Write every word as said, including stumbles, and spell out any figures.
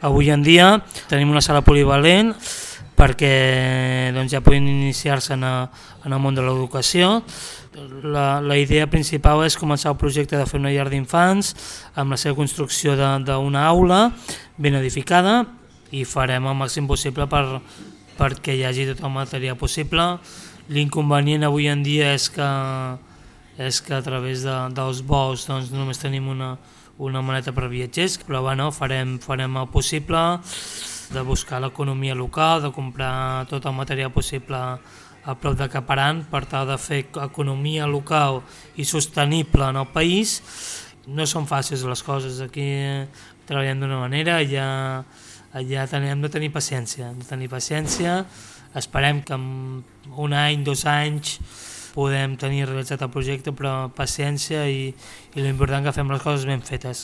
Avui en dia tenim una sala polivalent perquè doncs, ja poden iniciar-se en, en el món de l'educació. La, la idea principal és començar el projecte de fer una llar d'infants amb la seva construcció d'una aula ben edificada i farem el màxim possible per, perquè hi hagi tot el material possible. L'inconvenient avui en dia és que, és que a través de, dels vols doncs, només tenim una, una maleta per viatgers, però bueno, farem, farem el possible de buscar l'economia local, de comprar tot el material possible a prop de Caparan per tal de fer economia local i sostenible en el país. No són fàcils les coses, aquí treballem d'una manera, ja, ja hem de tenir paciència, hem de tenir paciència, esperem que en un any, dos anys podem tenir realitzat el projecte, però paciència i, i l'important que fem les coses ben fetes.